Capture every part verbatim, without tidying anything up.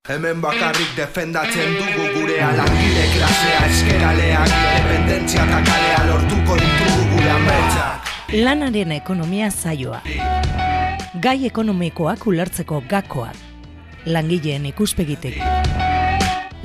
Hemen bakarrik defendatzen dugu gurea langile klasea eskeraleak independentzia eta kalea lortuko ditugu gure ametsak. Lanaren ekonomia saioa. Gai ekonomikoak ulertzeko gakoak. Langileen ikuspegitik.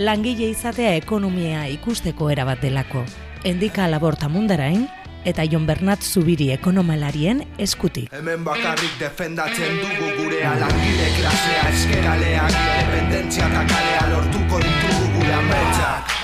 Langile izatea ekonomia ikusteko erabat delako. Endika Laborta Mundarain eta Jon Bernat Zubiri ekonomalarien eskutik. Hemen bakarrik defendatzen dugu gurea langile klasea eskeraleak independentzia eta kalea lortuko ditugu gure ametsak.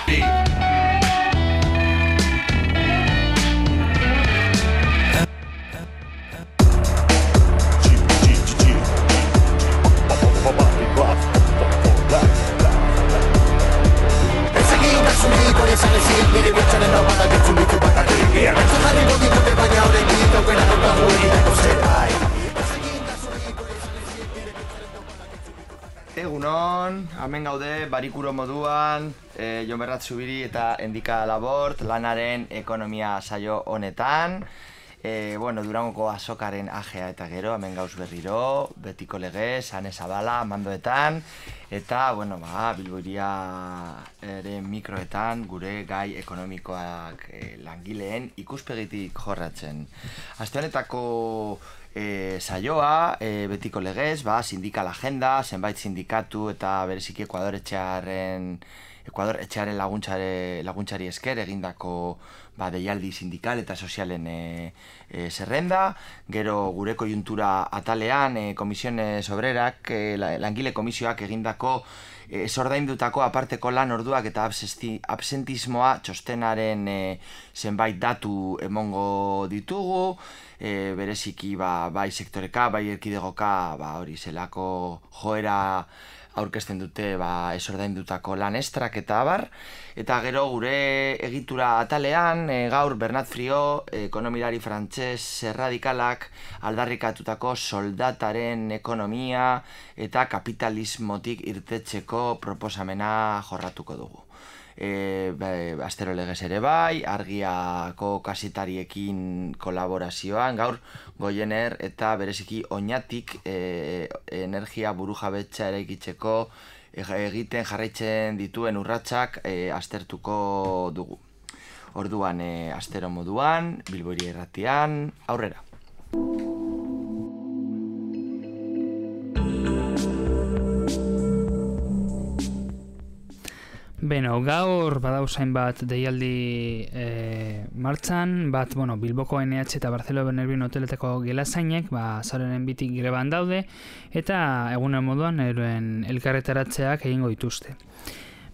Egunon, hemen gaude barikuro moduan, e, Jon Bernat Zubiri eta Endika Labort lanaren ekonomia saio honetan. E, bueno, Durangoko azokaren ajea eta gero, hemen gauz berriro, betiko lege, Sane Zabala, mandoetan, eta, bueno, ba, Bilboiria ere mikroetan gure gai ekonomikoak e, langileen ikuspegitik jorratzen. Aste honetako e, saioa, e, betiko legez, ba, sindikal agenda, zenbait sindikatu eta bereziki Ekuador etxearen Ekuador etxearen laguntzare, laguntzari esker egindako ba, deialdi sindikal eta sozialen e, e, zerrenda. Gero gure kojuntura atalean e, komisiones obrerak, e, langile komisioak egindako e, zordaindutako aparteko lan orduak eta absesti, absentismoa txostenaren e, zenbait datu emongo ditugu. E, bereziki ba, bai sektoreka, bai erkidegoka ba, hori zelako joera aurkezten dute ba, esordaindutako lan estrak eta abar. Eta gero gure egitura atalean, e, gaur Bernat Friot, ekonomilari frantses erradikalak aldarrikatutako soldataren ekonomia eta kapitalismotik irtetzeko proposamena jorratuko dugu. E, be, astero legez ere bai, Argiako kasitariekin kolaborazioan, gaur Goiener eta bereziki Oñatik e, energia burujabetza eraikitzeko egiten jarraitzen dituen urratsak e, aztertuko dugu. Orduan, e, astero moduan, Bilboiria irratian, aurrera. Beno, gaur badauzain bat deialdi e, martxan, bat, bueno, Bilboko N H eta Barcelona Benerbin hoteletako gelazainek, ba, zaurenen bitik greban daude, eta egunen moduan eroen elkarretaratzeak egingo dituzte.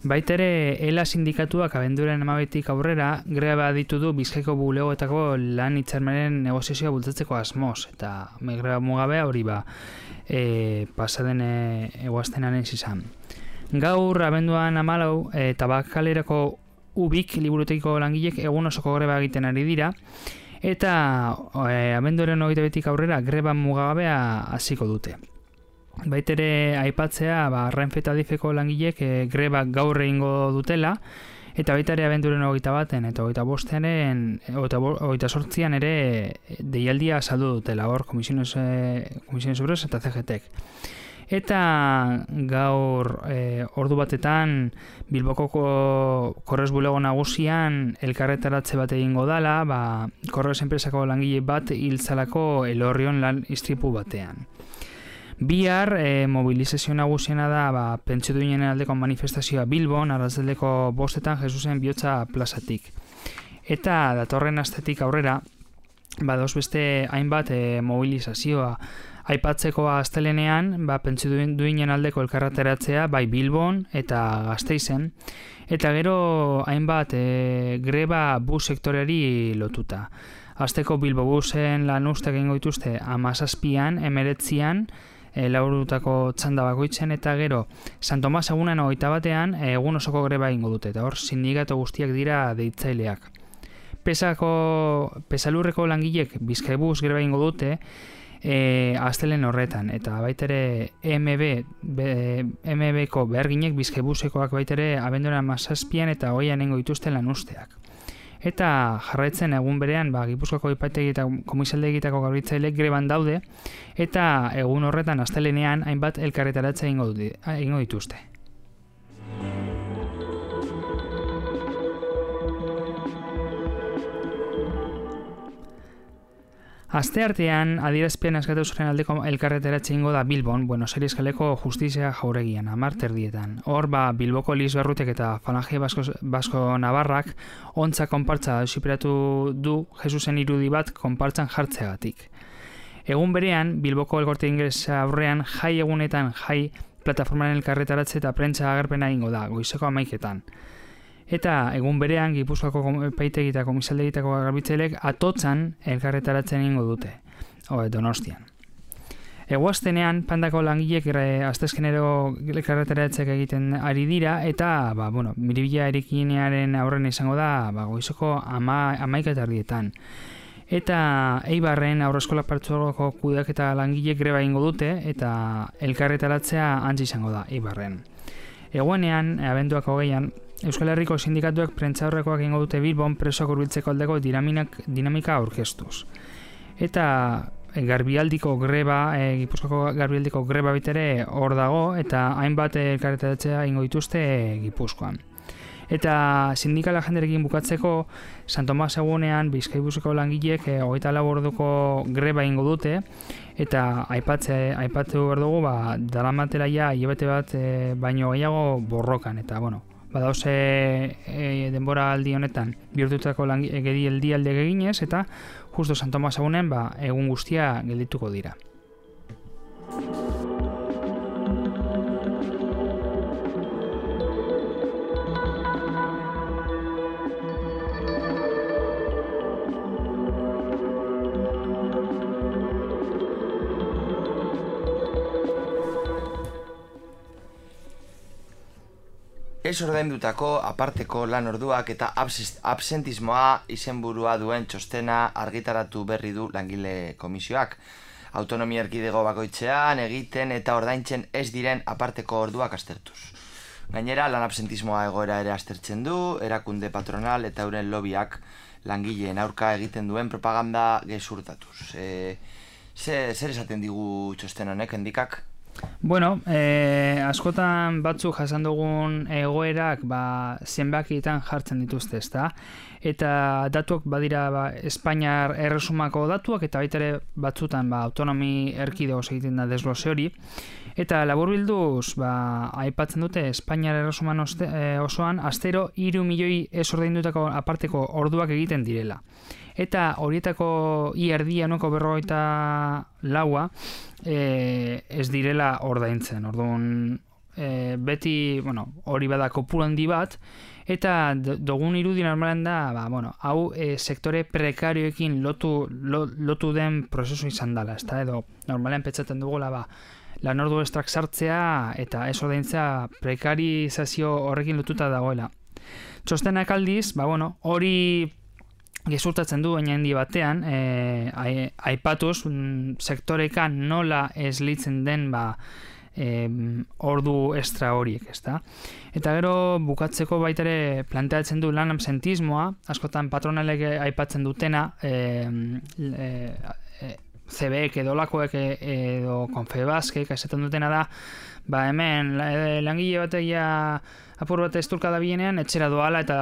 Baitere, ELA sindikatuak abenduren amabetik aurrera, greba ditu du Bizkaiko bulegoetako lan hitzarmenen negoziazioa bultzatzeko asmoz, eta greba mugabea hori ba, e, pasaden eguaztenaren zizan. Gaur, abenduan amalau, e, tabakalerako ubik liburutekiko langilek egun osoko greba egiten ari dira, eta e, abenduaren hogeita betik aurrera greba mugagabea hasiko dute. Baitere aipatzea, ba, Renfe eta Adifeko langilek e, greba gaur egingo dutela, eta baitare abenduaren hogeita baten eta hogeita bostearen, hogeita sortzian ere deialdia saldu dutela, hor komisiones, e, komisiones obreros eta C G T-ek. Eta gaur e, ordu batetan Bilboko Korrez bulego nagusian elkarretaratze bat egingo dala, ba, Korrez enpresako langile bat hiltzalako Elorrion lan istripu batean. Bihar e, mobilizazio nagusiena da ba, pentsio duinen aldeko manifestazioa Bilbon, arratsaldeko bostetan Jesusen bihotza plazatik. Eta datorren astetik aurrera, badoz beste hainbat e, mobilizazioa. Aipatzeko astelenean, ba, pentsio duinen aldeko elkarretaratzea bai Bilbon eta Gasteizen, eta gero hainbat e, greba bus sektoreari lotuta. Asteko Bilbo busen lan ustak egingo dituzte hamazazpian, emeretzian, e, laurutako txanda bakoitzen, eta gero San Tomas egunen hogeita batean egun osoko greba egingo dute, eta hor sindikatu guztiak dira deitzaileak. Pesako, pesalurreko langilek Bizkaibus greba egingo dute, E, astelen horretan, eta baitere M B, M B-ko beharginek Bizkaibusekoak baitere abenduaren hamazazpian eta hogeian egingo dituzten lan usteak. Eta jarraitzen egun berean, ba, Gipuzkoako epaitegi eta komisaldegietako garbitzailek greban daude, eta egun horretan astelenean hainbat elkarretaratze egingo dituzte. Asteartean, adierazpen askatasunaren aldeko elkarretaratze ingo da Bilbon, Buenos Aires kaleko justizia jauregian, hamar terdietan. Hor, ba, Bilboko Liz Berrutek eta Falange Basko, Basko Navarrak ontza konpartza auziperatu du Jesusen irudi bat konpartzan jartzeagatik. Egun berean, Bilboko Elkorte Ingelesa aurrean jai egunetan jai plataformaren elkarretaratze eta prentsa agerpena ingo da, goizeko hamaiketan. Eta egun berean, Gipuzkoako epaitegi eta komisaldegitako garbitzailek atotzan elkarretaratzen ingo dute, o, Donostian. Eguaztenean, Pandako langilek astezkenero elkarretaratzek egiten ari dira, eta, ba, bueno, miribila erikinearen aurren izango da, ba, goizoko ama, amaika eta ardietan. Eta Eibarren aurreskola partzuergoko kudeak eta langilek greba ingo dute, eta elkarretaratzea antzi izango da, Eibarren. Eguenean, abenduak hogeian, Euskal Herriko sindikatuak prentzaurrekoak ingo dute Bilbon presoak hurbiltzeko aldeko dinamika aurkeztuz. Eta garbialdiko greba, e, Gipuzkoako garbialdiko greba bitere hor dago, eta hainbat elkarretaratzea ingo dituzte Gipuzkoan. Eta sindikala jenderekin bukatzeko, San Tomas egunean Bizkaibuseko langilek e, hogeita lau orduko greba ingo dute, eta aipatze, aipatu behar dugu, ba, daramatela ja hilabete bat e, baino gehiago borrokan, eta bueno, badauze e, denbora aldi honetan bihurtutako geldi alde eginez, eta justo San Tomas egunen ba, egun guztia geldituko dira. Ez ordaindutako aparteko lan orduak eta absentismoa izenburua duen txostena argitaratu berri du langile komisioak. Autonomia erkidego bakoitzean egiten eta ordaintzen ez diren aparteko orduak aztertuz. Gainera, lan absentismoa egoera ere aztertzen du, erakunde patronal eta euren lobiak langileen aurka egiten duen propaganda gezurtatuz. E, zer esaten digu txosten honek, endikak? Bueno, eh, askotan batzuk jasan dugun egoerak ba, zenbakietan jartzen dituzte, ezta? Eta datuak badira ba, Espainiar erresumako datuak, eta baita ere batzutan ba, autonomi erkidego egiten da desglose hori. Eta laburbilduz, ba, aipatzen dute Espainiar erresuman oste, eh, osoan astero hiru milioi ez ordaindutako aparteko orduak egiten direla. Eta horietako i erdia nuko berrogeita laua e, ez direla ordaintzen. Orduan, e, beti, bueno, hori bada kopuru handi bat, eta dugun irudi normalen da, ba, bueno, hau e, sektore prekarioekin lotu, lo, lotu den prozesu izan dela, ezta? Edo normalen petzaten dugula, ba, lan ordu estrak sartzea eta ez ordaintzea prekarizazio horrekin lotuta dagoela. Txostenak aldiz, ba, bueno, hori gezurtatzen du baina handi batean, e, aipatuz mm, sektorekan nola eslitzen den ba, e, ordu estra horiek, ezta? Eta gero bukatzeko baita ere planteatzen du lan absentismoa, askotan patronalek aipatzen dutena, e, e, e, C B ek edo lakoek edo Confebaskek esaten dutena da, ba hemen langile batek ja apur bat esturka da bienean, etxera doala eta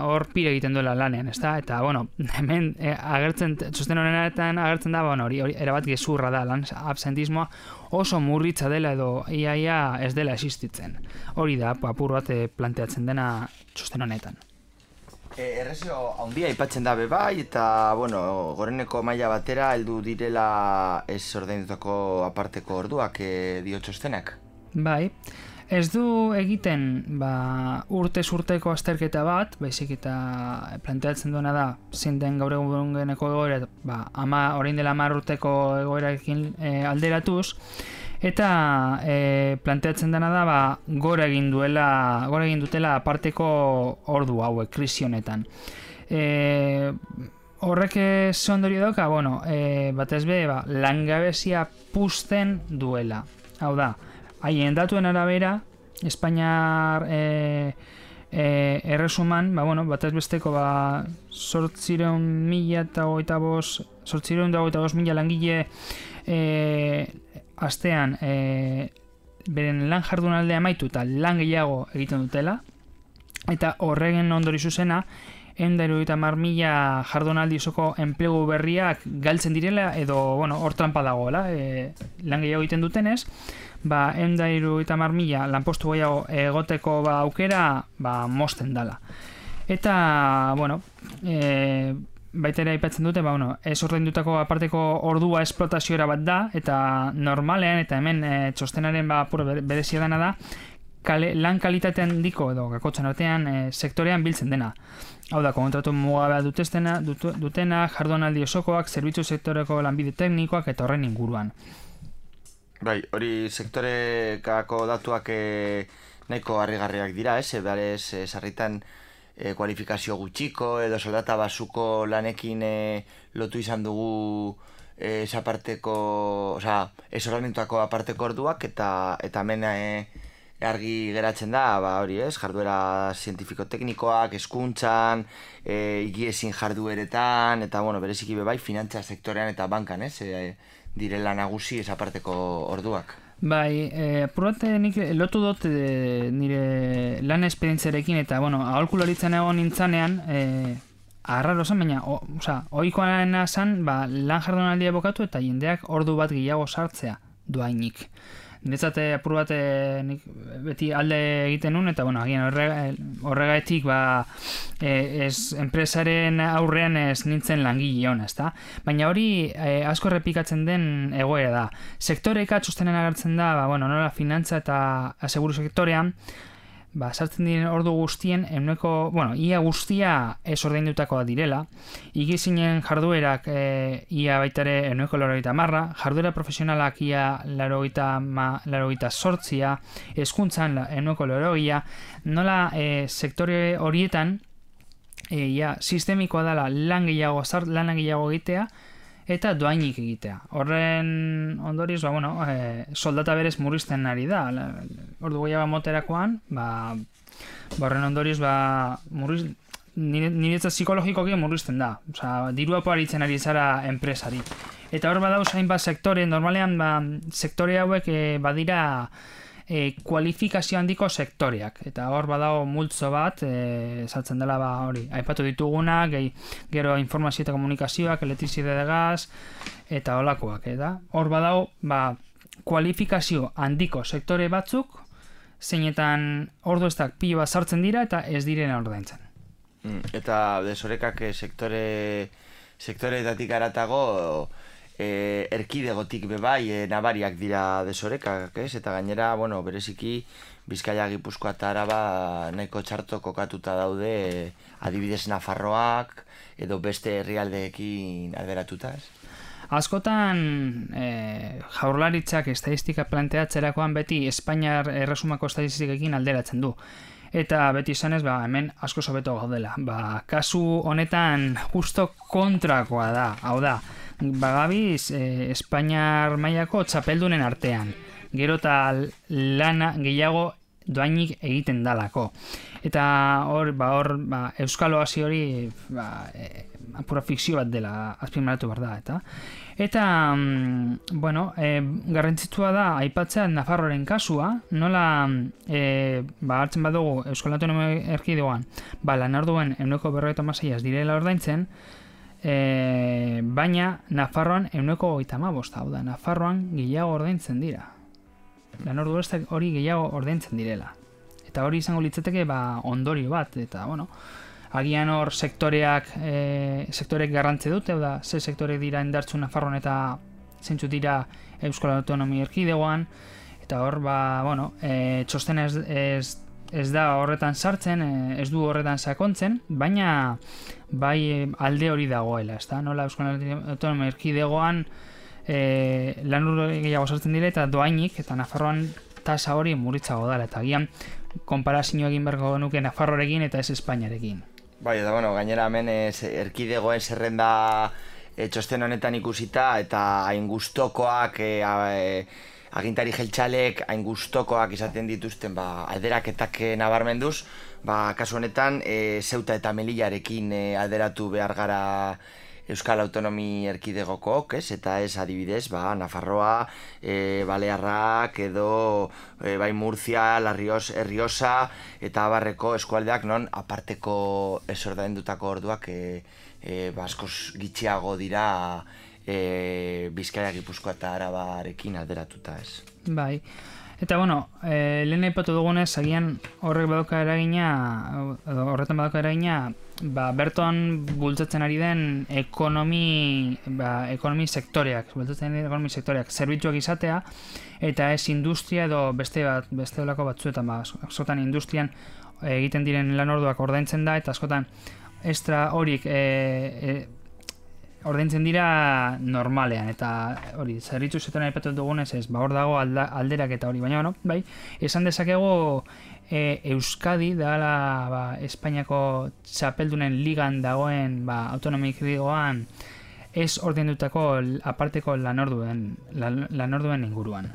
hor pire egiten duela lanean, ezta? Eta, bueno, hemen e, agertzen, txosten honetan agertzen da, bueno, hori, hori erabat gezurra da, lan absentismoa oso murritza dela edo iaia ez dela existitzen. Hori da, apur bat planteatzen dena txosten honetan. E, errezio handia aipatzen da bebai, eta, bueno, goreneko maila batera heldu direla ez ordaindutako aparteko orduak e, dio txostenak. Bai. Ez du egiten ba, urtez urteko azterketa bat, baizik eta planteatzen duena da zein den gaur egungeneko egoera, ba, ama, orain dela hamar urteko egoerarekin e, alderatuz, eta e, planteatzen dena da ba, gora egin duela, gora egin dutela aparteko ordu hauek, krisi honetan. E, horrek ze ondorio dauka, bueno, e, batez be, ba, langabezia puzten duela. Hau da, haien datuen arabera, Espainiar e, e, erresuman, ba, bueno, batez besteko ba, zortzireun mila eta hogeita bost, zortzireun da hogeita bost mila langile e, astean e, beren lan jardunaldea amaitu eta lan gehiago egiten dutela, eta horregen ondori zuzena, ehun eta hirurogeita hamar mila jardunaldi osoko enplegu berriak galtzen direla edo, bueno, hor trampa dagoela, e, lan gehiago egiten dutenez, ba, ehun eta hirurogeita hamar mila lanpostu gehiago egoteko ba, aukera ba, mosten dala. Eta, bueno, e, baita ere aipatzen dute, ba, bueno, ez ordaindutako aparteko ordua esplotazioera bat da, eta normalean, eta hemen e, txostenaren ba, berezia dena da, kale, lan kalitatean diko edo gakotzen artean e, sektorean biltzen dena. Hau da, kontratu mugabea dutestena, dut, dutena, jardunaldi osokoak, zerbitzu sektoreko lanbide teknikoak eta horren inguruan. Bai, hori sektorekako datuak e, nahiko harrigarriak dira, ez? Ebarez, e, sarritan e, kualifikazio gutxiko edo soldata basuko lanekin e, lotu izan dugu e, esaparteko, osea, ez ordainduako aparteko orduak eta eta hemen e, argi geratzen da, ba hori ez, jarduera zientifiko-teknikoak, hezkuntzan, e, higiezin jardueretan, eta bueno, bereziki be bai, finantza sektorean eta bankan, ez, e, direla nagusi esaparteko orduak. Bai, e, apurate nik lotu dut e, nire lan esperientziarekin eta, bueno, aholkularitzen egon nintzanean, e, arraro zen, baina, o, oza, ohikoa zen, ba, lan jardunaldia bokatu eta jendeak ordu bat gehiago sartzea duainik. Niretzate apur bat nik beti alde egiten nun, eta bueno, agian horregatik ba, e, ez enpresaren aurrean ez nintzen langile hona, ezta? Baina hori e, asko errepikatzen den egoera da. Sektoreka txostenen agertzen da, ba, bueno, nola finantza eta aseguru sektorean, ba, sartzen diren ordu guztien, ehuneko, bueno, ia guztia ez ordaindutakoa direla, igizinen jarduerak e, ia baitare ehuneko laurogeita hamarra, jarduera profesionalak ia laurogeita zortzia, hezkuntzan ehuneko laurogeia, nola e, sektore horietan, e, ia sistemikoa dela lan gehiago, zart, lan gehiago egitea, eta doainik egitea. Horren ondorioz, ba, bueno, e, soldata berez murrizten ari da. Ordu gehiago moterakoan, ba, ba horren ondorioz, ba, murriz, niretzat psikologikoki murrizten da. Osa, dirua poaritzen ari zara enpresari. Eta hor badauz hainbat sektore, normalean, ba, sektore hauek e, badira E, kualifikazio handiko sektoreak, eta hor badago multzo bat, e, saltzen dela ba, hori, aipatu ditugunak, gehi, gero informazio eta komunikazioak, elektrizide de gaz, eta holakoak, eta hor badago ba, kualifikazio handiko sektore batzuk, zeinetan orduestak pilo bat sartzen dira, eta ez direna ordaintzen. Mm, eta desorekak sektore sektoreetatik aratago, E, erkidegotik bebai e, nabariak dira desorekak, ez? Eta gainera, bueno, bereziki Bizkaia, Gipuzkoa eta Araba nahiko txarto kokatuta daude e, adibidez Nafarroak edo beste herrialdeekin alderatuta, ez? Askotan e, jaurlaritzak estadistika planteatzerakoan beti Espainiar erresumako estadistikekin alderatzen du. Eta beti izanez, ba, hemen asko sobeto gaudela. Ba, kasu honetan justo kontrakoa da, hau da, bagabiz eh, Espainiar mailako txapeldunen artean. Gero eta lana gehiago doainik egiten dalako. Eta hor, ba, hor, ba, Euskal Oasi hori ba, e, pura fikzio bat dela azpimarratu behar da, eta eta, mm, bueno, e, garrantzitsua da aipatzea Nafarroaren kasua, nola e, ba, hartzen badugu Euskal Autonomia Erkidegoan, ba, lan orduen ehuneko berrogeita hamaseiaz direla ordaintzen, e, baina Nafarroan ehuneko hogeita hamabost, hau da, Nafarroan gehiago ordaintzen dira. Lan ordu hori gehiago ordaintzen direla. Eta hori izango litzateke ba, ondorio bat, eta bueno, agian hor sektoreak e, sektorek garrantze dute, da, ze sektorek dira indartzu Nafarroan eta zeintzu dira Euskal Autonomia Erkidegoan, eta hor, ba, bueno, e, txostena ez, ez, ez da horretan sartzen, e, ez du horretan sakontzen, baina bai alde hori dagoela, ez da, nola Euskal Autonomia Erkidegoan e, lan urte gehiago sartzen dira eta doainik, eta Nafarroan tasa hori muritzago dela, eta agian konparazio egin berko genuke Nafarroarekin eta ez Espainiarekin. Bai, eta bueno, gainera hemen ez, erkidegoen zerrenda e, txosten honetan ikusita eta hain gustokoak e, a, e, agintari jeltxalek hain gustokoak izaten dituzten ba, alderaketak nabarmenduz, ba, kasu honetan e, Zeuta eta Melillarekin e, alderatu behar gara Euskal Autonomi Erkidegokok, ez? Eta ez adibidez, ba, Nafarroa, e, Balearrak edo e, bai Murcia, La Riosa eta abarreko eskualdeak non aparteko ez ordaindutako orduak e, e, ba, askoz gitxiago dira e, Bizkaia, Gipuzkoa eta Arabarekin alderatuta, ez? Bai. Eta, bueno, e, lehen aipatu dugunez, agian horrek badauka eragina, horretan badauka eragina, ba, berton bultzatzen ari den ekonomi, ba, ekonomi sektoreak, bultzatzen ari den ekonomi sektoreak, zerbitzuak izatea, eta ez industria edo beste bat, beste olako batzuetan, ba, askotan industrian egiten diren lan orduak ordaintzen da, eta askotan extra horik e, e, ordaintzen dira normalean, eta hori, zerbitzu zetan aipatu dugunez ez, ba, hor dago alda, alderak eta hori, baina, bueno, bai, esan dezakegu e, Euskadi dela, ba, Espainiako txapeldunen ligan dagoen, ba, autonomik digoan, ez ordaindutako aparteko lanorduen, lan, lanorduen inguruan.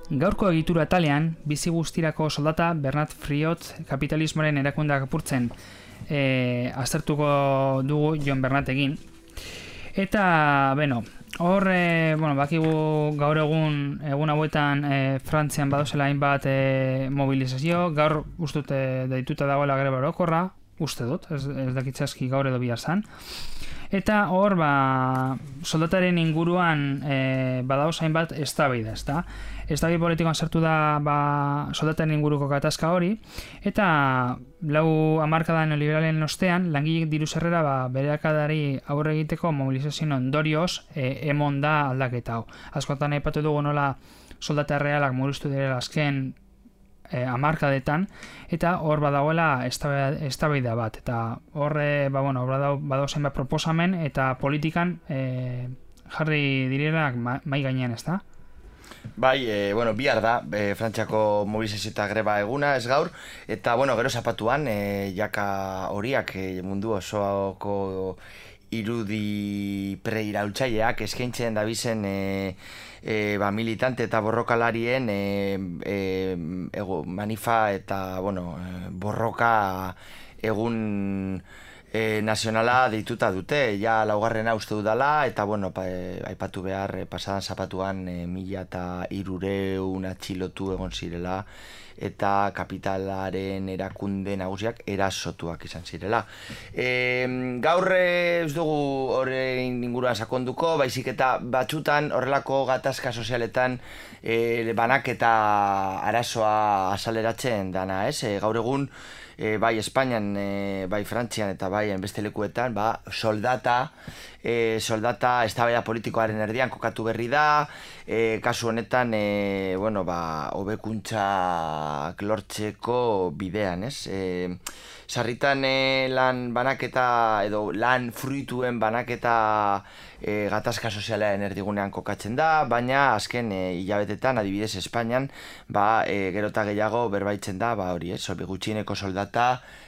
Gaurko egitura atalean, bizi guztirako soldata Bernat Friot kapitalismoaren erakundeak apurtzen e, aztertuko dugu Jon Bernatekin. Eta, bueno, hor, e, bueno, bakigu gaur egun, egun hauetan e, Frantzian badozela hainbat e, mobilizazio, gaur ustut e, deituta dagoela greba orokorra, uste dut, ez, ez dakitzaski gaur edo bihar zan. Eta hor, ba, soldataren inguruan e, badauz hainbat eztabaida, ezta? Eztabaida politikoan sartu da ba, soldataren inguruko gatazka hori, eta lau hamarkadan neoliberalen ostean, langileek diru sarrera ba, beherakadari aurre egiteko mobilizazioen ondorioz e, emon da aldaketa hau. Askotan aipatu dugu nola soldata realak murriztu direla azken E, hamarkadetan, eta hor badagoela eztabaida bat, eta hor e, ba, bueno, badago zenbait proposamen eta politikan e, jarri direnak mai gainean, ezta? Bai, e, bueno, bihar da, e, Frantziako mobilizazio eta greba eguna, ez gaur, eta, bueno, gero zapatuan, e, jaka horiak e, mundu osoko irudi preiraultzaileak eskaintzen dabizen e, e, ba, militante eta borrokalarien e, e, ego, manifa eta bueno, e, borroka egun e, nazionala deituta dute, ja laugarrena uste dudala, eta bueno, pa, e, aipatu behar e, pasadan zapatuan e, mila eta hirureun atxilotu egon zirela, eta kapitalaren erakunde nagusiak erasotuak izan zirela. E, gaur ez dugu horrein inguruan sakonduko, baizik eta batzutan horrelako gatazka sozialetan e, banak eta arazoa azaleratzen dana, ez? E, gaur egun e, bai Espainian, e, bai Frantzian eta bai beste lekuetan, ba, soldata, e, soldata eztabaida politikoaren erdian kokatu berri da, e, kasu honetan, e, bueno, ba, hobekuntzak lortzeko bidean, ez? E, sarritan e, lan banaketa edo lan fruituen banaketa e, gatazka sozialean erdigunean kokatzen da, baina azken e, hilabetetan, adibidez Espainian, ba, e, gero eta gehiago berbaitzen da, ba, hori, ez? Gutxieneko soldata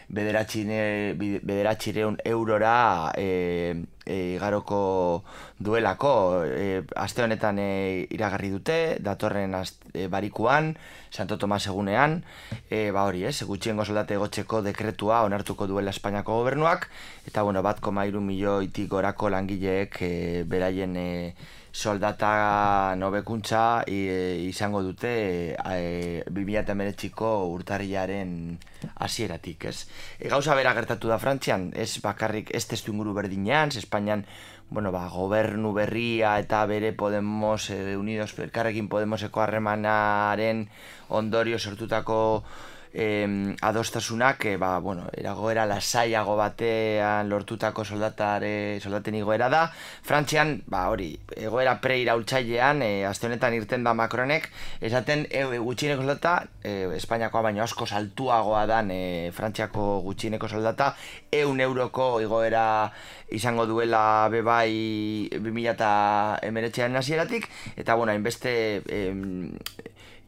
bederatzireun eurora e, e, igaroko duelako. E, aste honetan e, iragarri dute, datorren aste, e, barikuan, Santo Tomas egunean, e, ba hori, ez, gutxiengo soldate egotzeko dekretua onartuko duela Espainiako gobernuak, eta bueno, bat koma hiru milioitik gorako langileek e, beraien e, soldata nobekuntza e, izango dute e, bi mila hemeretziko urtarrilaren hasieratik, ez? E, gauza bera gertatu da Frantzian, ez bakarrik ez testu inguru berdinean, Espainian, bueno, ba, gobernu berria eta bere Podemos, e, Unidos Elkarrekin Podemoseko harremanaren ondorio sortutako Eh, adostasunak, eh, ba, bueno, eragoera lasaiago batean lortutako soldatare, soldaten igoera da. Frantzian, ba, hori, egoera pre-iraultzailean, eh, aste honetan irten da Macronek, esaten e, gutxieneko soldata, eh, Espainiakoa baino asko saltuagoa dan eh, Frantziako gutxieneko soldata, ehun euroko igoera izango duela bebai bi mila hemeretziaren hasieratik, eta bueno, hainbeste eh,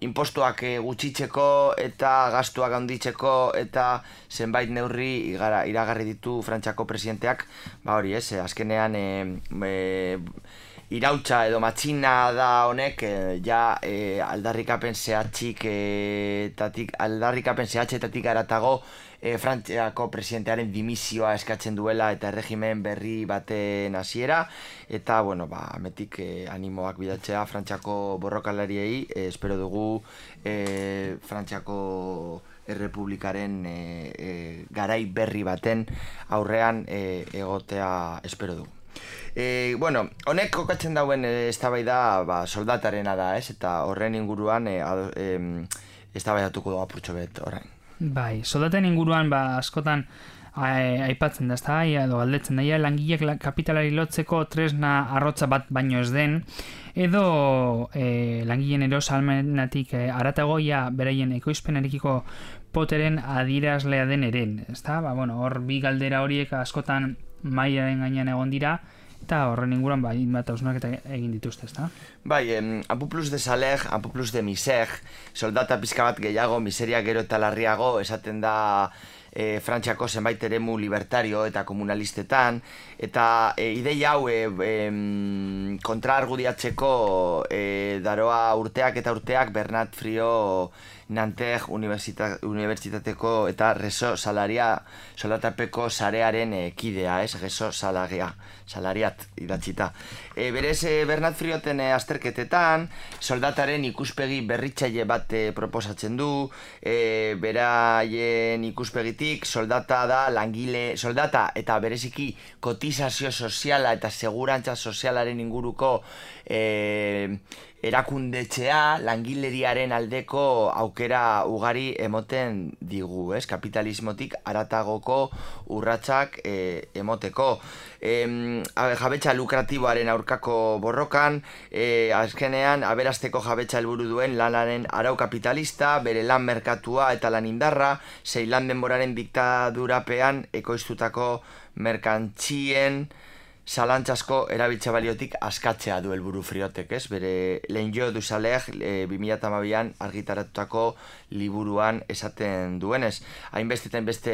impostuak gutxitzeko eta gastuak handitzeko eta zenbait neurri igara, iragarri ditu Frantziako presidenteak, ba hori ez, azkenean e, e, irautza edo matxina da honek e, ja e, aldarrikapen zehatzik e, tatik, aldarrikapen zehatzetatik aratago e, Frantziako presidentearen dimisioa eskatzen duela eta erregimen berri baten hasiera eta bueno, ba, ametik e, animoak bidatzea Frantziako borrokalariei, e, espero dugu e, Frantziako Errepublikaren e, e, garai berri baten aurrean e, egotea espero dugu. E, bueno, honek kokatzen dauen eztabaida ba, soldatarena da, ez? Eta horren inguruan e, e, eztabaidatuko dugu apurtxo bet orain. Bai, soldaten inguruan ba, askotan aipatzen da, ezta, edo galdetzen da, langileak kapitalari lotzeko tresna arrotza bat baino ez den, edo e, langileen erosalmenatik e, aratagoia beraien ekoizpenarekiko poteren adierazlea den eren, ezta? Ba, bueno, hor bi galdera horiek askotan mailaren gainean egon dira, eta horren inguruan ba, bat hausnarketa egin dituzte, ezta? Bai, em, un peu plus de salaire, un peu plus de misère, soldata pizka bat gehiago, miseria gero eta larriago, esaten da e, Frantziako zenbait eremu libertario eta komunalistetan, eta e, ideia hau e, e, kontraargudiatzeko e, daroa urteak eta urteak Bernat Friot Nanterre Unibertsitateko eta reso salaria soldatapeko sarearen e, kidea, ez? Reso salaria, salariat idatzita. E, berez, e, Bernat Frioten e, azterketetan, soldataren ikuspegi berritzaile bat e, proposatzen du, e, beraien ikuspegitik soldata da langile, soldata eta bereziki kotizazio soziala eta segurantza sozialaren inguruko e, erakundetxea langileriaren aldeko aukera ugari emoten digu, ez? Kapitalismotik aratagoko urratsak e, emoteko. E, jabetza lukratiboaren aurkako borrokan, e, azkenean aberasteko jabetza helburu duen lanaren arau kapitalista, bere lan merkatua eta lan indarra, sei lan denboraren diktadurapean ekoiztutako merkantzien zalantzasko erabiltza baliotik askatzea du helburu Friotek, ez? Bere L'Enjeu du Salaire e, bi mila hamabian argitaratutako liburuan esaten duenez. Hainbeste eta hainbeste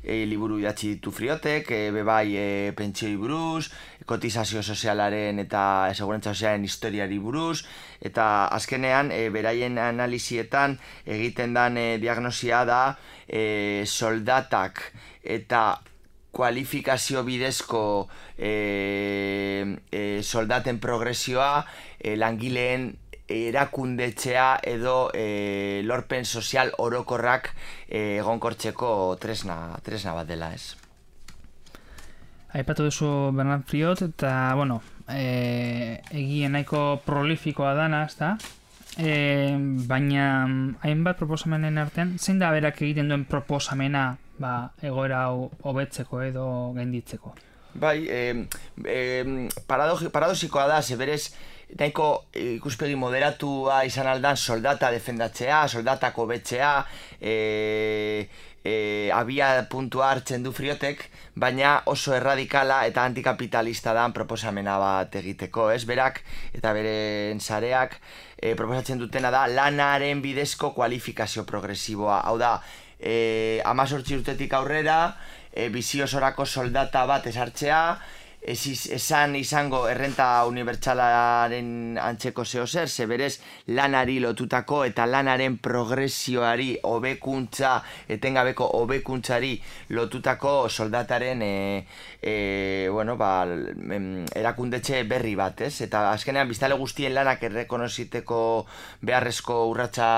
e, liburu idatzi ditu Friotek, e, bebai e, pentsioi buruz, kotizazio sozialaren eta segurantza sozialaren historiari buruz, eta azkenean e, beraien analizietan egiten dan e, diagnosia da e, soldatak eta kualifikazio bidezko e, e, soldaten progresioa e, langileen erakundetzea edo e, lorpen sozial orokorrak e, egonkortzeko tresna, tresna bat dela, ez? Aipatu duzu Bernat Friot, eta, bueno, e, egien nahiko prolifikoa dana, ezta? E, baina hainbat proposamenen artean, zein da berak egiten duen proposamena ba, egoera hau hobetzeko edo gainditzeko? Bai, eh, eh, paradoxikoa da, zeberez, nahiko ikuspegi moderatua izan aldan soldata defendatzea, soldatako betzea, e, e, abia puntua hartzen du Friotek, baina oso erradikala eta antikapitalista dan proposamena bat egiteko, ez? Berak eta beren sareak e, proposatzen dutena da lanaren bidezko kualifikazio progresiboa, hau da, E, amazortzi urtetik aurrera, e, bizi osorako soldata bat esartzea, ez, esan izango errenta unibertsalaren antzeko zehozer, zeberez lanari lotutako eta lanaren progresioari hobekuntza, etengabeko hobekuntzari lotutako soldataren e, e, bueno, ba, erakundetxe berri bat, ez? Eta azkenean biztale guztien lanak errekonoziteko beharrezko urratsa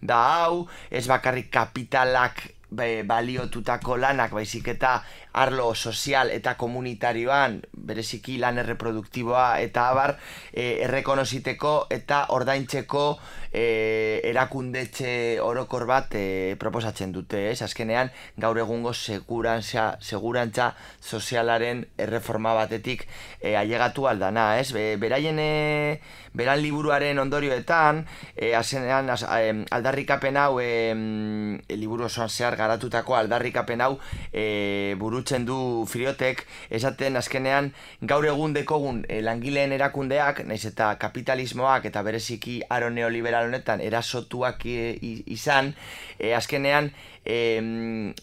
da hau, ez bakarrik kapitalak baliotutako lanak, baizik eta arlo sozial eta komunitarioan, bereziki lan erreproduktiboa eta abar, e, errekonoziteko eta ordaintzeko e, erakundetxe orokor bat e, proposatzen dute, ez? Azkenean, gaur egungo segurantza, segurantza sozialaren erreforma batetik e, ailegatu aldana, ez? Be, beraien e, beran liburuaren ondorioetan, e, azkenean az, e, aldarrikapen hau, e, e, liburu osoan zehar garatutako aldarrikapen hau e, buru burutzen du Friotek, esaten azkenean gaur egun dekogun e, langileen erakundeak, naiz eta kapitalismoak eta bereziki aro neoliberal honetan erasotuak e, izan, e, azkenean E,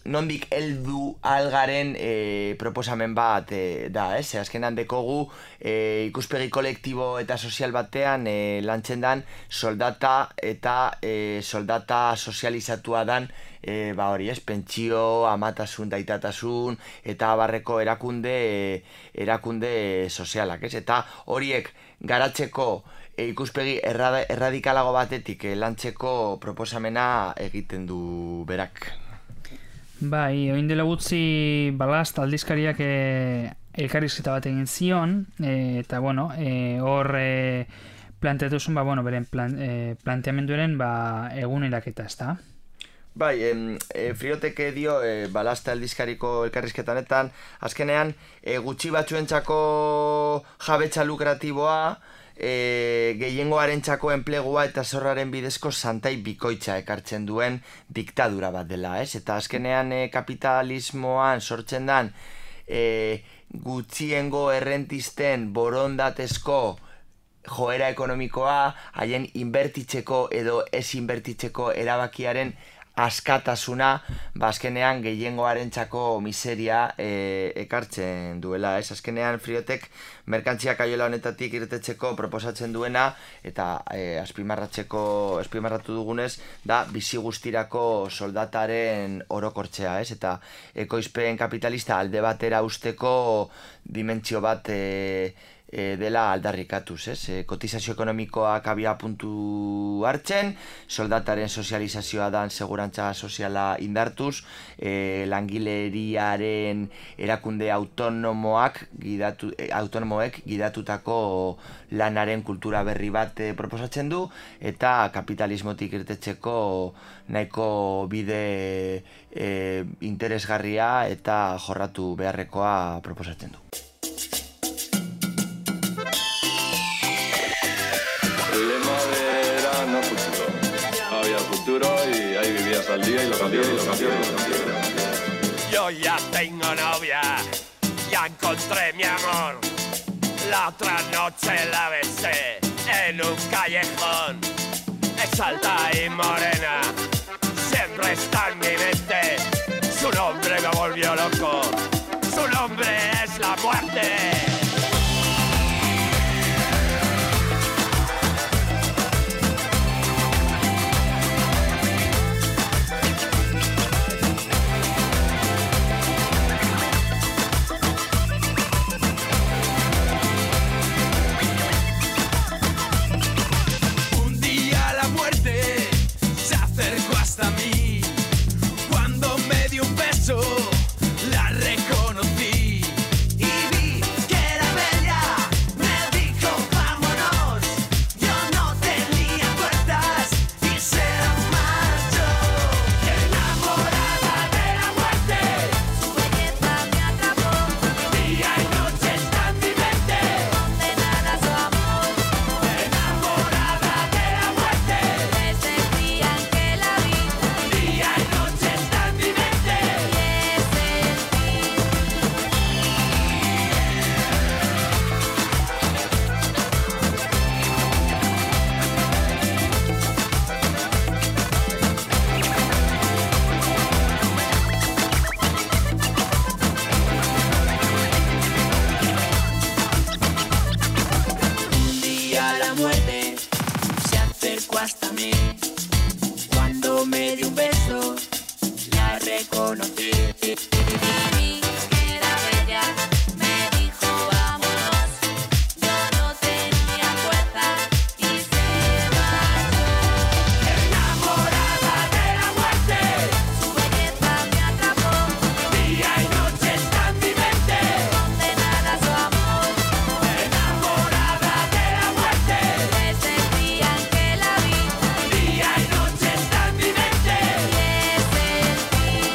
nondik heldu algaren e, proposamen bat e, da, ez? Azkenan dekogu e, ikuspegi kolektibo eta sozial batean e, lantzen dan soldata eta e, soldata sozializatua dan e, ba hori, ez? Pentsio, amatasun, daitatasun eta abarreko erakunde e, erakunde sozialak, ez? Eta horiek garatzeko e, ikuspegi errada, erradikalago batetik e, lantzeko proposamena egiten du berak. Bai, oin dela gutxi Balast aldizkariak e, elkarrizketa bat egin zion, e, eta bueno, e, hor e, planteatu zuen, ba, bueno, beren plan, e, planteamenduaren ba, eguneraketa, ez da? Bai, em, e, Friotek dio e, Balasta aldizkariko elkarrizketa honetan, azkenean e, gutxi batzuentzako jabetza lukratiboa, E, gehiengoarentzako enplegua eta zorraren bidezko santai bikoitza ekartzen duen diktadura bat dela, ez? Eta azkenean e, kapitalismoan sortzen dan e, gutxiengo errentisten borondatezko joera ekonomikoa, haien inbertitzeko edo ez inbertitzeko erabakiaren askatasuna, ba azkenean gehiengoarentzako miseria e, ekartzen duela, ez? Azkenean Friotek merkantzia kaiola honetatik irtetzeko proposatzen duena eta e, azpimarratzeko azpimarratu dugunez da bizi guztirako soldataren orokortzea, ez? Eta ekoizpen kapitalista alde batera usteko dimentsio bat e, E, dela aldarrikatuz, ez? E, kotizazio ekonomikoak abia puntu hartzen, soldataren sozializazioa dan segurantza soziala indartuz, e, langileriaren erakunde autonomoak gidatu, e, autonomoek gidatutako lanaren kultura berri bat e, proposatzen du, eta kapitalismotik irtetzeko nahiko bide e, interesgarria eta jorratu beharrekoa proposatzen du. Había futuro y ahí vivías al día y lo cambió, y lo cambió, y lo cambió. Yo ya tengo novia, ya encontré mi amor. La otra noche la besé en un callejón. Es alta y morena, siempre está en mi mente. Su nombre me volvió loco, su nombre es la muerte. La reconocí y vi que era bella. Me dijo vámonos. Yo no tenía puertas y se marchó. Enamorada de la muerte, su belleza me atrapó. Día y noche está en mi mente, condenada a su amor. Enamorada de la muerte, desde el día en que la vi. Día y noche está en mi mente. Hasta mí, cuando me dio un beso, la reconocí. Vi que era bella, me dijo vámonos. Yo no tenía fuerza y se marchó. Enamorada de la muerte, su belleza me atrapó. Día y noche está en mi mente, condenada a su amor. Enamorada de la muerte, desde el día en que la vi. Día y noche está en mi mente. Y es el fin.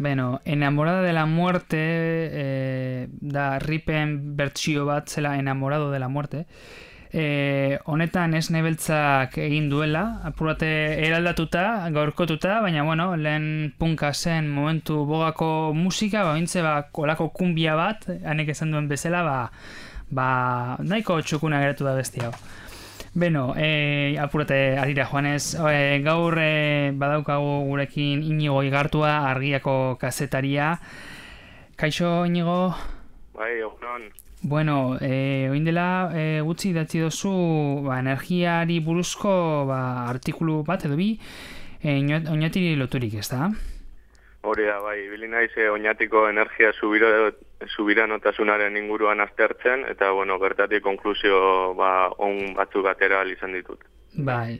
Bueno, Enamorada de la Muerte eh, da Ripen bertsio bat zela Enamorado de la Muerte. Eh, honetan Esne Beltzak egin duela, apurate eraldatuta, gaurkotuta, baina bueno, lehen punka zen momentu bogako musika, ba, bintze, ba, kolako kumbia bat, hanek esan duen bezala, ba, ba, nahiko txukuna geratu da besti hau. Beno, eh, apurate arira joanez, eh, gaur eh, badaukagu gurekin Inigo Igartua, Argiako kazetaria. Kaixo, Inigo? Bai, egunon. Bueno, eh, oin dela eh, gutxi idatzi dozu ba, energiari buruzko ba, artikulu bat edo bi eh, oinatiri loturik, ez da? Hori da, bai, bili naiz eh, oinatiko energia subiro, subiranotasunaren inguruan aztertzen, eta, bueno, bertatik konklusio ba, on batzuk atera izan ditut. Bai.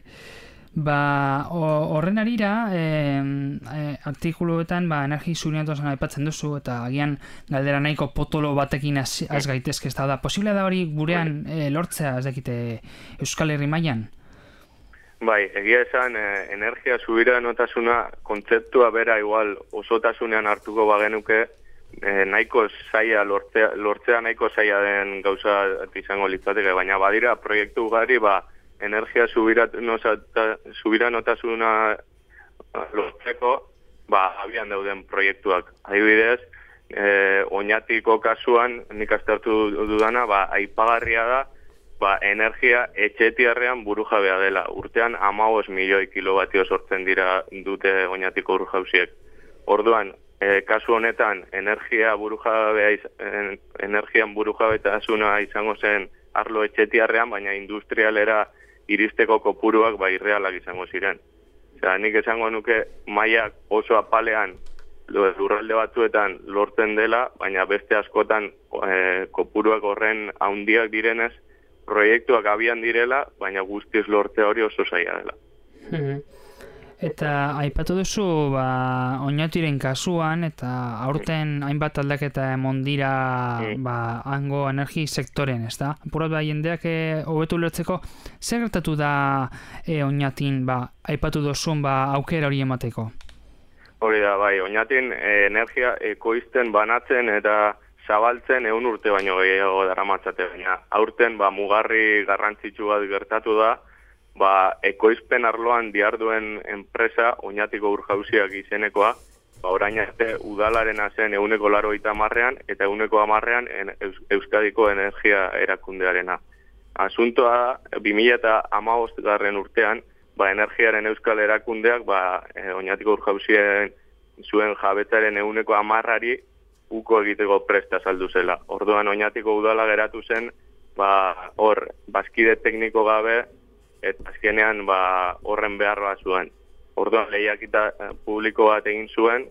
Ba, horren arira, eh, eh, artikuluetan ba, energi subiranotasuna aipatzen duzu, eta agian galdera nahiko potolo batekin az, az gaitezke, ez da, posible da hori gurean eh, lortzea, ez dakite, Euskal Herri mailan? Bai, egia esan, eh, energia subiranotasuna kontzeptua bera igual osotasunean hartuko bagenuke, eh, nahiko zaila lortzea, lortzea nahiko zaila den gauza izango litzateke, baina badira proiektu gari, ba, energia subiranotasuna lortzeko, ba, abian dauden proiektuak. Adibidez, eh, Oñatiko kasuan, nik aztertu dudana, ba, aipagarria da, ba, energia etxetiarrean burujabea dela. Urtean hamabost milioi kilobatio sortzen dira dute Oñatiko burujauziek. Orduan, eh, kasu honetan, energia burujabea, en, energian burujabetasuna izango zen arlo etxetiarrean, baina industrialera iristeko kopuruak ba irrealak izango ziren. Osea, nik esango nuke mailak oso apalean lurralde batzuetan lortzen dela, baina beste askotan e, kopuruak horren handiak direnez, proiektuak abian direla, baina guztiz lortzea hori oso zaila dela. Eta aipatu duzu ba, Oñatiren kasuan, eta aurten hainbat aldaketa emon dira mm. ba, hango energi sektoren, ez da? Apurat ba, jendeak hobetu lertzeko, zer gertatu da e, Oñatin ba, aipatu duzun ba, aukera hori emateko? Hori da, bai, Oñatin e, energia ekoizten banatzen eta zabaltzen ehun urte baino gehiago daramatzate, baina aurten ba, mugarri garrantzitsu bat gertatu da, ba, ekoizpen arloan diharduen enpresa Oñatiko Urjauziak izenekoa, ba, orain arte udalaren zen ehuneko laurogeita hamarrean eta ehuneko hamarrean Eus Euskadiko energia erakundearena. Asuntoa bi mila hamabostgarren urtean, ba, energiaren euskal erakundeak ba, Oñatiko Urjauzien zuen jabetzaren ehuneko hamarrari uko egiteko presta saldu zela. Orduan Oñatiko udala geratu zen, ba, hor, bazkide tekniko gabe, eta azkenean ba, horren beharroa zuen. Orduan lehiaketa publiko bat egin zuen,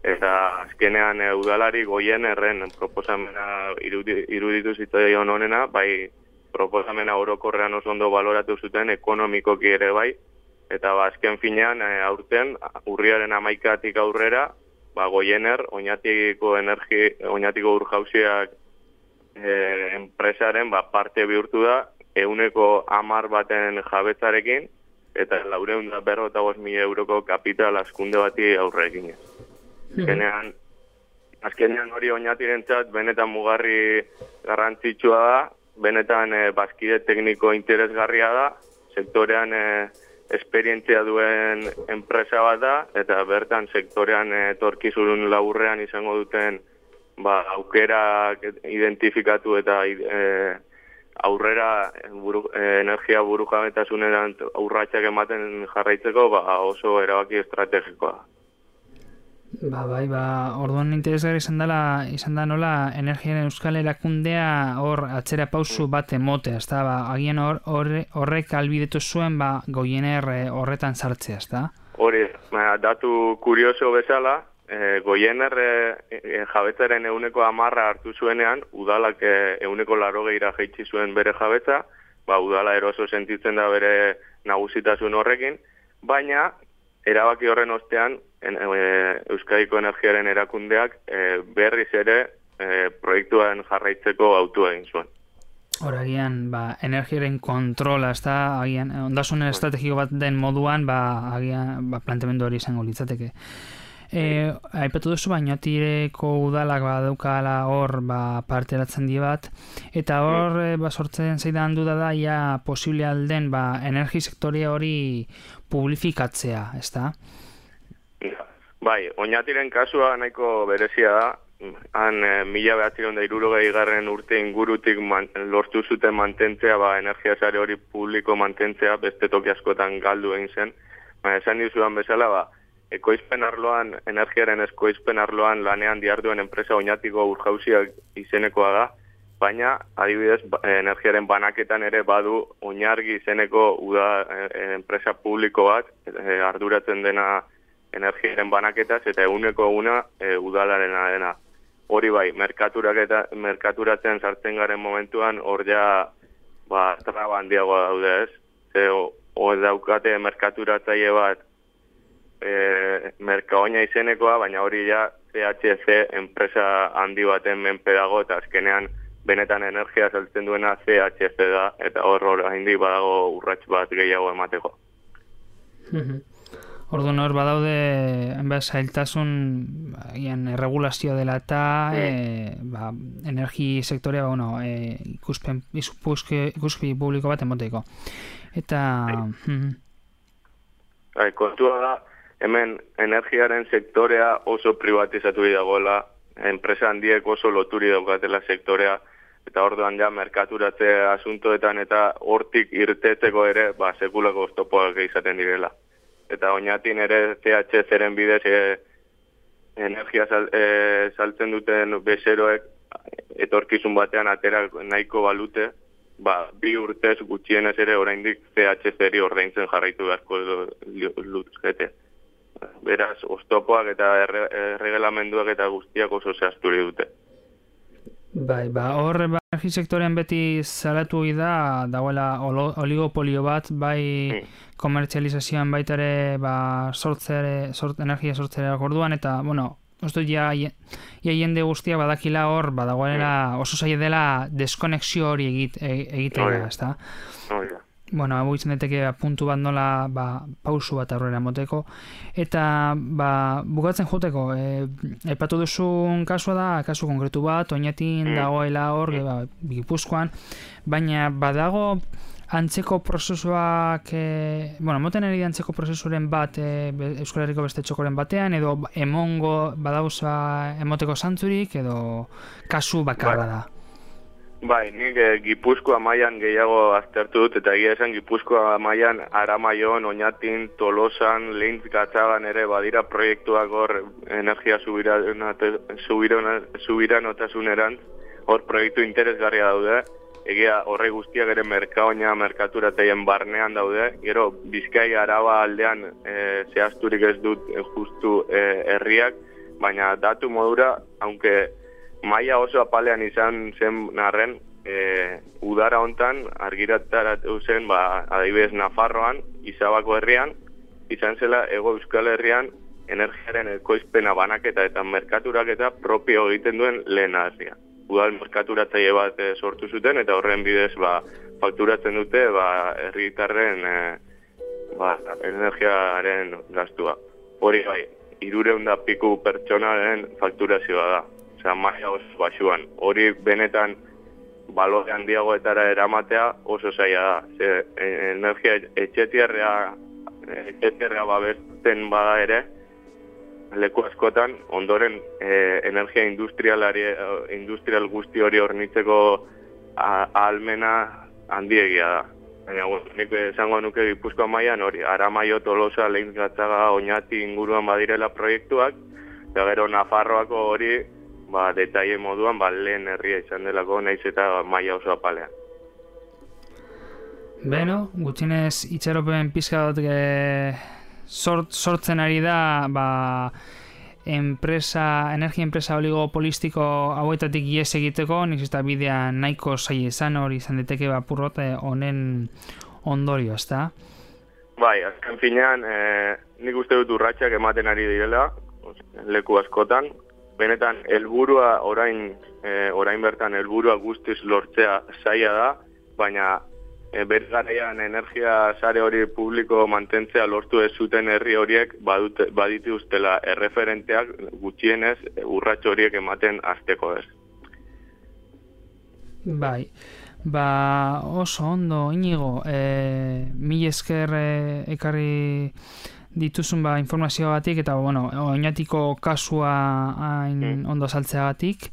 eta azkenean e, udalari goien erren proposamena irudi, iruditu zitzaion honena, bai proposamena orokorrean oso ondo baloratu zuten ekonomikoki ere bai, eta ba, azken finean e, aurten urriaren hamaikatik aurrera, ba, goiener, Oñatiko energi, Oñatiko Urjauziak e, enpresaren ba, parte bihurtu da, ehuneko hamar baten jabetzarekin, eta laurehun eta berrogeita bost mila euroko kapital askunde bati aurre eginez. Azkenean, azkenean hori Oñatirentzat benetan mugarri garrantzitsua da, benetan e, bazkide tekniko interesgarria da, sektorean e, esperientzia duen enpresa bat da, eta bertan sektorean etorkizun laburrean izango duten ba, aukerak identifikatu eta e, aurrera buru, eh, energia burujabetasunean urratsak ematen jarraitzeko ba, oso erabaki estrategikoa. Ba, bai, ba, orduan interesgarri izan dela, izan da nola energiaren euskal erakundea hor atzera pausu bat emotea, ezta? Ba, agian hor, horrek albidetu zuen ba, goiener horretan sartzea, ezta? Hori, ba, datu kurioso bezala, E, goiener e, e, jabetzaren ehuneko hamarra hartu zuenean, udalak ehuneko laurogeira jaitsi zuen bere jabetza, ba, udala eroso sentitzen da bere nagusitasun horrekin, baina erabaki horren ostean en, e, Euskadiko energiaren erakundeak e, berriz ere e, proiektuan jarraitzeko autua egin zuen. Horagian, ba, energiaren kontrola, ez da, agian, ondasunen estrategiko bat den moduan, ba, agian, ba, planteamendu hori izango litzateke. E, aipatu duzu Oñatireko udalak badaukala hor ba, parte eratzen di bat, eta hor e, ba, sortzen zaidan duda da ia posible alden ba, energi sektorea hori publifikatzea, ezta? Bai, Oñatiren kasua nahiko berezia da. Han e, mila behatziehun eta hirurogei garren urte ingurutik man, lortu zuten mantentzea, ba, energia sare hori publiko mantentzea, beste toki askotan galdu egin zen. Baina esan dizudan bezala, ba, ekoizpen arloan, energiaren ekoizpen arloan lanean diarduen enpresa Oñatiko Urjauziak izenekoa da, baina adibidez energiaren banaketan ere badu Oñargi izeneko uda e, enpresa publiko bat, e, arduratzen dena energiaren banaketaz eta eguneko eguna e, udalarena dena. Hori bai, merkaturatzen sartzen garen momentuan hor ja ba, traba handiagoa daude ez. Ze, hor daukate merkaturatzaile bat e, Merkaoina izenekoa, baina hori ja C H C enpresa handi baten menpe dago eta azkenean benetan energia saltzen duena C H C da eta hor hor handik badago urrats bat gehiago emateko. Orduan hor badaude enbaz zailtasun ian erregulazio dela eta mm. e, ba, energi sektorea ba, bueno, e, ikuspen, ikuspi publiko bat emoteko. Eta... Mm. Hai, kontua da, hemen energiaren sektorea oso privatizatu dagoela, enpresa handiek oso loturi daukatela sektorea, eta orduan ja merkaturatze asuntoetan eta hortik irtetzeko ere ba, sekulako oztopoak izaten direla. Eta Oñatin ere C H C-ren bidez e, energia sal, e, saltzen duten bezeroek etorkizun batean atera nahiko balute, ba, bi urtez gutxienez ere oraindik C H C-ri ordaintzen jarraitu beharko luzkete. Beraz, oztopoak eta erregelamenduak eta guztiak oso zehazturi dute. Bai, ba, hor ba, energi sektorean beti salatu da dagoela oligopolio bat, bai mm. komertzializazioan baita ere ba, sortzere, sort, energia sortzera orduan, eta, bueno, uste ja, ja jende guztia badakila hor, badagoela mm. oso zaila dela deskonexio hori egit, egitea, oh, ezta? Oh, yeah. Bueno, hau izan daiteke puntu bat nola ba, pausu bat aurrera moteko. Eta ba, bukatzen joteko, e, aipatu duzun kasua da, kasu konkretu bat, Oñatin mm. dagoela hor, mm. ba, Gipuzkoan, baina badago antzeko prozesuak, e, bueno, moten ari antzeko prozesuren bat e, Euskal Herriko beste txokoren batean, edo emongo badauza emoteko zantzurik, edo kasu bakarra da. Bai, nik e, Gipuzkoa mailan gehiago aztertu dut, eta egia esan Gipuzkoa mailan Aramaion, Oñatin, Tolosan, Leintz Gatzagan ere badira proiektuak hor energia subiranotasunera, hor proiektu interesgarria daude, egia horre guztiak ere Merkaoina merkaturateien barnean daude, gero Bizkai Araba aldean e, zehazturik ez dut e, justu e, herriak, baina datu modura, aunque maila oso apalean izan zen narren, e, udara hontan argirataratu zen, ba, adibidez Nafarroan, Izabako herrian, izan zela Hego Euskal Herrian energiaren ekoizpena banaketa eta merkaturaketa propio egiten duen lehen herria. Udal merkaturatzaile bat e, sortu zuten eta horren bidez ba, fakturatzen dute ba, herritarren e, ba, energiaren gastua. Hori bai, hirurehun da piku pertsonaren fakturazioa da. Osea, maila oso baxuan. Hori benetan balore handiagoetara eramatea oso zaila da. Ze, energia etxetierrea, etxetierrea babesten bada ere, leku askotan, ondoren e, energia industrialari, industrial guzti hori hornitzeko ahalmena handiegia da. Baina, nik esango nuke Gipuzkoa mailan hori, Aramaio, Tolosa, Leintz Gatzaga, Oñati inguruan badirela proiektuak, eta gero Nafarroako hori, ba, detaile moduan, ba, lehen herria izan delako, naiz eta maila oso apalean. Beno, gutxinez itxaropen pizka dut e, sort, sortzen ari da, ba, enpresa, energia enpresa oligopolistiko hauetatik ies egiteko, nik eta bidea nahiko zaila izan hori izan diteke bapurrot honen ondorio, ezta? Bai, azken finean, e, nik uste dut urratsak ematen ari direla, leku askotan, benetan helburua orain e, orain bertan helburua guztiz lortzea zaila da, baina e, bere garaian energia sare hori publiko mantentzea lortu ez zuten herri horiek badute, badituztela erreferenteak gutxienez urrats horiek ematen hasteko ez. Bai, ba oso ondo, Inigo, e, mil esker e, ekarri dituzun ba, informazioagatik eta bueno, oinatiko kasua hain mm. ondo saltzeagatik.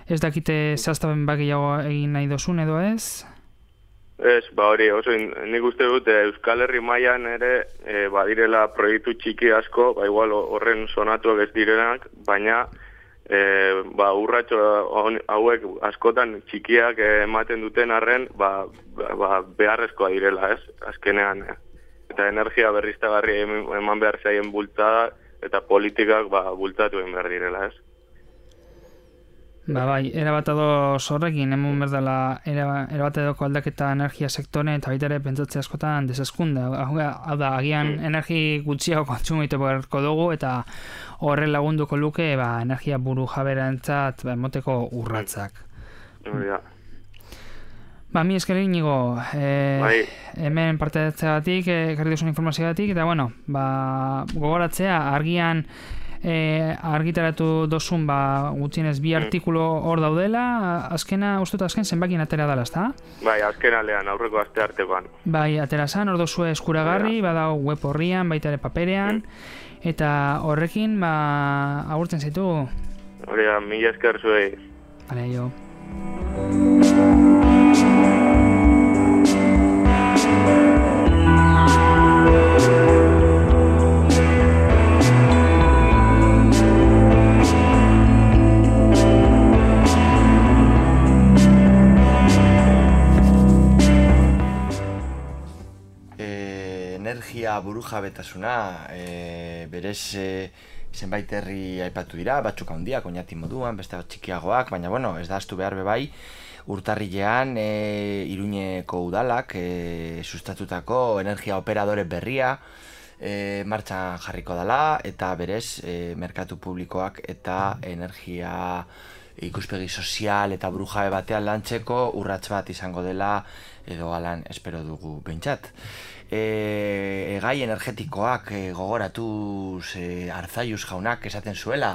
Ez dakite zehaztapen bakiago egin nahi dozun edo ez? Ez, ba hori, oso nik uste dut Euskal Herri mailan ere e, badirela proiektu txiki asko, ba igual horren sonatuak ez direnak, baina e, ba urratxo hauek askotan txikiak ematen duten arren, ba, ba beharrezkoa direla, ez? Azkenean, eh? Eta energia berriztagarri eman behar zaien bultzada eta politikak ba bultzatu egin behar direla, ez? Ba bai, erabat edo horrekin, hemen berdala erabat edoko aldaketa energia sektore eta baita ere pentsatzea askotan desaskunde. Hau da, agian mm. energi gutxiago kontsumitu beharko dugu eta horren lagunduko luke ba, energia buru jaberantzat ba, emoteko urratzak. Mm. Ja. Ba, mi esker Inigo, e, bai. hemen parte hartzeagatik, ekarri duzun informazioagatik, eta bueno, ba, gogoratzea, argian e, argitaratu dozun ba, gutxienez bi artikulu hor daudela, azkena, uste dut azken zenbakin atera dela, ezta? Bai, azken alean, aurreko aste artekoan. Bai, atera zan, hor dozue eskuragarri, badao web horrian, baita ere paperean, mm. eta horrekin, ba, agurtzen zaitu. Hori da, mila esker zuei. Bale, jo. Energia burujabetasuna e, berez e, zenbait herri aipatu dira, batzuk handiak, oinati moduan, beste txikiagoak, baina bueno, ez da astu behar bebai, urtarrilean e, Iruñeko udalak e, sustatutako energia operadore berria e, martxan jarriko dela, eta berez e, merkatu publikoak eta energia ikuspegi sozial eta burujabe batean lantzeko urrats bat izango dela, edo alan espero dugu behintzat. E, gai energetikoak e, gogoratuz e, Arzaiuz jaunak esaten zuela,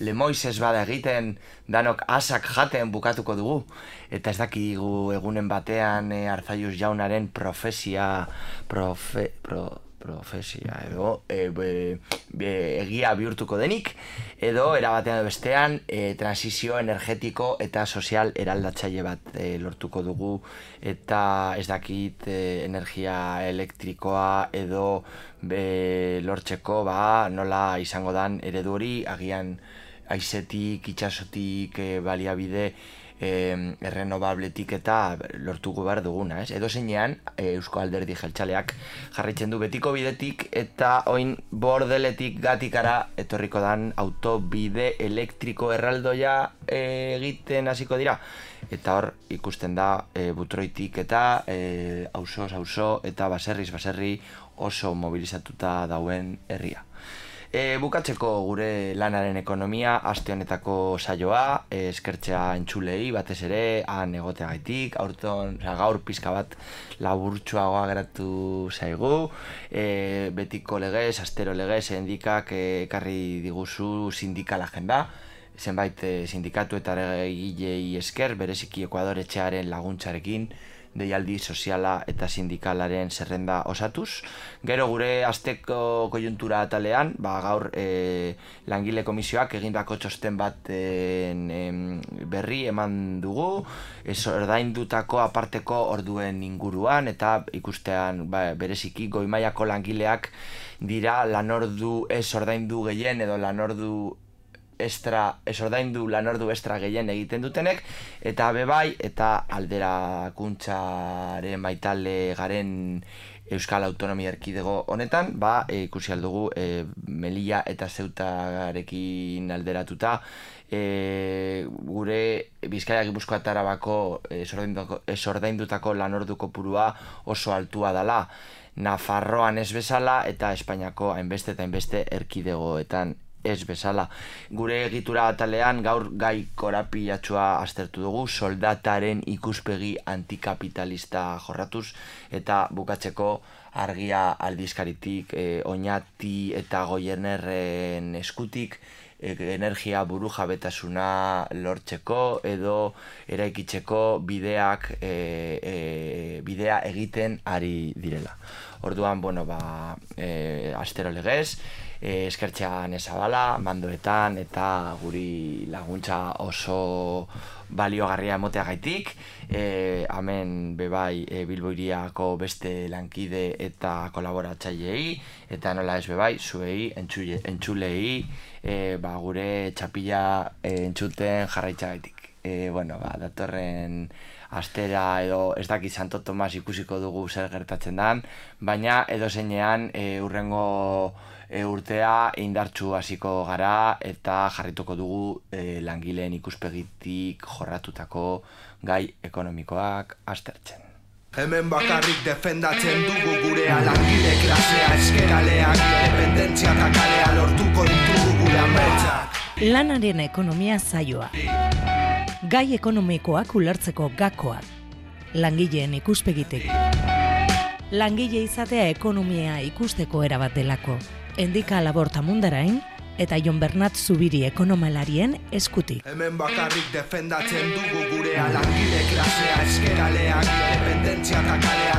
lemoiz ez bada egiten danok asak jaten bukatuko dugu, eta ez dakigu egunen batean e, Arzaiuz jaunaren profesia profe, pro, profesia edo e, be, be, egia bihurtuko denik, edo erabatean edo bestean e, transizio energetiko eta sozial eraldatzaile bat e, lortuko dugu, eta ez dakit e, energia elektrikoa edo be, lortzeko ba, nola izango dan eredu hori, agian haizetik, itxasotik, e, baliabide E, errenobabletik eta lortuko behar duguna, ez? Edo zeinean, e, Eusko Alderdi Jeltzaleak jarraitzen du betiko bidetik eta oin bordeletik gatikara etorriko dan autobide elektriko erraldoia e, egiten hasiko dira. Eta hor ikusten da e, Butroitik eta e, auzoz auzo eta baserriz baserri oso mobilizatuta dauen herria. E, bukatzeko gure lanaren ekonomia aste honetako saioa, e, eskertzea entzulei batez ere han egoteagaitik, aurton, oza, gaur pizka bat laburtsuagoa geratu zaigu, e, betiko legez, astero legez, endikak ekarri diguzu sindikal agenda, zenbait e, sindikatu eta egilei esker, bereziki Ekuador etxearen laguntzarekin, deialdi soziala eta sindikalaren zerrenda osatuz. Gero gure asteko koiuntura atalean, ba, gaur e, langile komisioak egindako txosten bat e, berri eman dugu, ez ordaindutako aparteko orduen inguruan, eta ikustean ba, bereziki goi mailako langileak dira lanordu ez ordaindu gehien edo lanordu extra, ez ordaindu lanordu extra gehien egiten dutenek, eta bebai, eta alderakuntzaren baitale garen Euskal Autonomia Erkidego honetan, ba, e, ikusi aldugu e, Melilla eta Zeutarekin alderatuta, e, gure Bizkaia Gipuzkoa eta Arabako ez ordaindutako lanordu kopurua oso altua dela, Nafarroan ez bezala eta Espainiako hainbeste eta hainbeste erkidegoetan ez bezala. Gure egitura atalean gaur gai korapilatsua aztertu dugu, soldataren ikuspegi antikapitalista jorratuz, eta bukatzeko Argia aldizkaritik, e, Oñati eta Goiernerren eskutik, e, energia burujabetasuna lortzeko edo eraikitzeko bideak e, e, bidea egiten ari direla. Orduan, bueno, ba, e, astero legez, e, eskertzean ezabala, mandoetan eta guri laguntza oso baliogarria emoteagaitik, e, hemen bebai e, Bilbo Hiriako beste lankide eta kolaboratzailei, eta nola ez bebai, zuei, entzule, entzulei, e, ba, gure txapila e, entzuten jarraitzagaitik. E, bueno, ba, datorren astera edo ez dakit Santo Tomas ikusiko dugu zer gertatzen dan, baina edo zeinean e, urrengo e, urtea indartsu hasiko gara eta jarrituko dugu e, langileen ikuspegitik jorratutako gai ekonomikoak aztertzen. Hemen bakarrik defendatzen dugu gurea, langile klasea, eskeraleak, independentzia eta kalea lortuko ditugu gure ametsak. Lanaren ekonomia saioa. Gai ekonomikoak ulertzeko gakoak. Langileen ikuspegitik. Langile izatea ekonomia ikusteko erabat delako. Endika Laborta Mundarain eta Jon Bernat Zubiri ekonomalarien eskutik. Hemen bakarrik defendatzen dugu gurea, langile klasea, eskeraleak, independentzia eta kalea